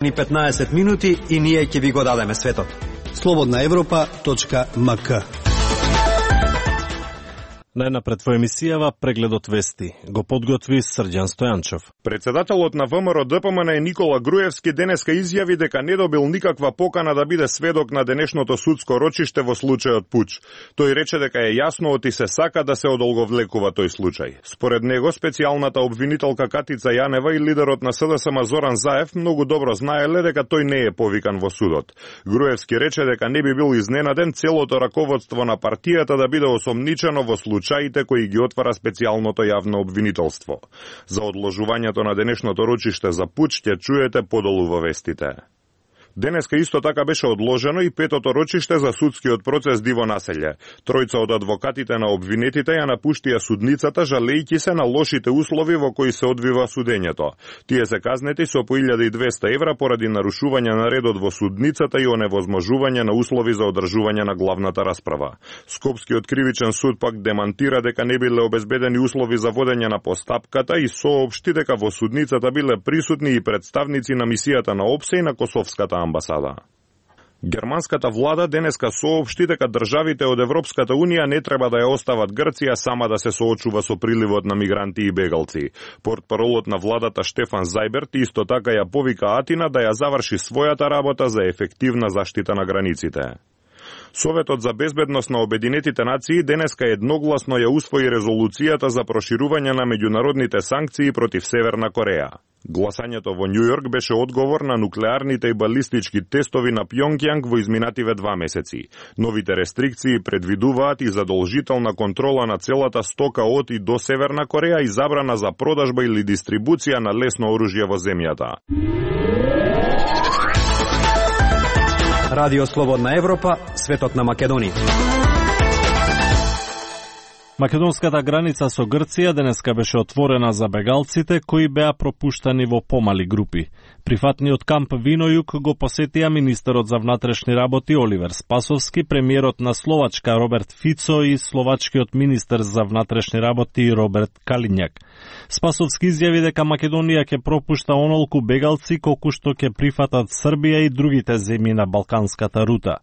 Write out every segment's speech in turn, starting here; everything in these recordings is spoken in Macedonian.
Ни 15 минути и ние ќе ви го дадеме светот. Slobodnaevropa.mk. Најнапред во емисијава прегледот вести го подготви Срđan Стојанчов. Председателот на ВМРО ДПМН Никола Груевски денеска изјави дека не добил никаква покана да биде сведок на денешното судско рочиште во случајот Пуч. Тој рече дека е јасно оти се сака да се одолговлекува тој случај. Според него, специјалната обвинителка Катица Јанева и лидерот на СДСМ Зоран Заев многу добро знаеле дека тој не е повикан во судот. Груевски рече дека не би бил изненаден целото раководство на партијата да биде осомничено во случајите кои ги отвара специјалното јавно обвинителство. За одложувањето на денешното рочиште за Пуч ќе чуете подолу во вестите. Денеска исто така беше одложено и петото рочиште за судскиот процес Диво Населје. Тројца од адвокатите на обвинетите ја напуштија судницата жалејќи се на лошите услови во кои се одвива судењето. Тие се казнети со по 1200 евра поради нарушување на редот во судницата и оневозможување на услови за одржување на главната расправа. Скопскиот кривичен суд пак демантира дека не биле обезбедени услови за водење на постапката и соопшти дека во судницата биле присутни и представници на мисијата на ОПСЕ и на Косовската амбасада. Германската влада денеска соопшти дека државите од Европската Унија не треба да ја остават Грција сама да се соочува со приливот на мигранти и бегалци. Портпаролот на владата Штефан Зајберт исто така ја повика Атина да ја заврши својата работа за ефективна заштита на границите. Советот за безбедност на Обединетите нации денеска едногласно ја усвои резолуцијата за проширување на меѓународните санкции против Северна Кореја. Гласањето во Њујорк беше одговор на нуклеарните и балистички тестови на Пјонгјанг во изминативе 2 месеци. Новите рестрикции предвидуваат и задолжителна контрола на целата стока од и до Северна Кореја и забрана за продажба или дистрибуција на лесно оружје во земјата. Радио Слободна Европа, светот на Македонија. Македонската граница со Грција денеска беше отворена за бегалците кои беа пропуштани во помали групи. Прифатниот камп Винојук го посетија министерот за внатрешни работи Оливер Спасовски, премиерот на Словачка Роберт Фицо и словачкиот министер за внатрешни работи Роберт Калињак. Спасовски изјави дека Македонија ќе пропушта онолку бегалци колку што ќе прифатат Србија и другите земји на балканската рута.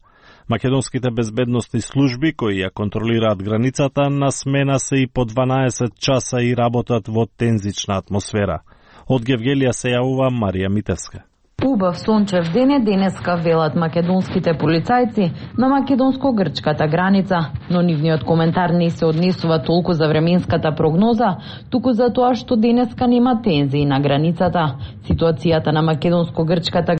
Македонските безбедностни служби кои ја контролираат границата на смена се и по 12 часа и работат во тензична атмосфера. Од Гевгелија се јавува Марија Митевска. Убав сончев ден е денеска, велат македонските полицајци на македонско-грчката граница, но нивниот коментар не се однесува толку за временската прогноза, туку за тоа што денеска нема тензии на границата. Ситуацијата на македонско-грчката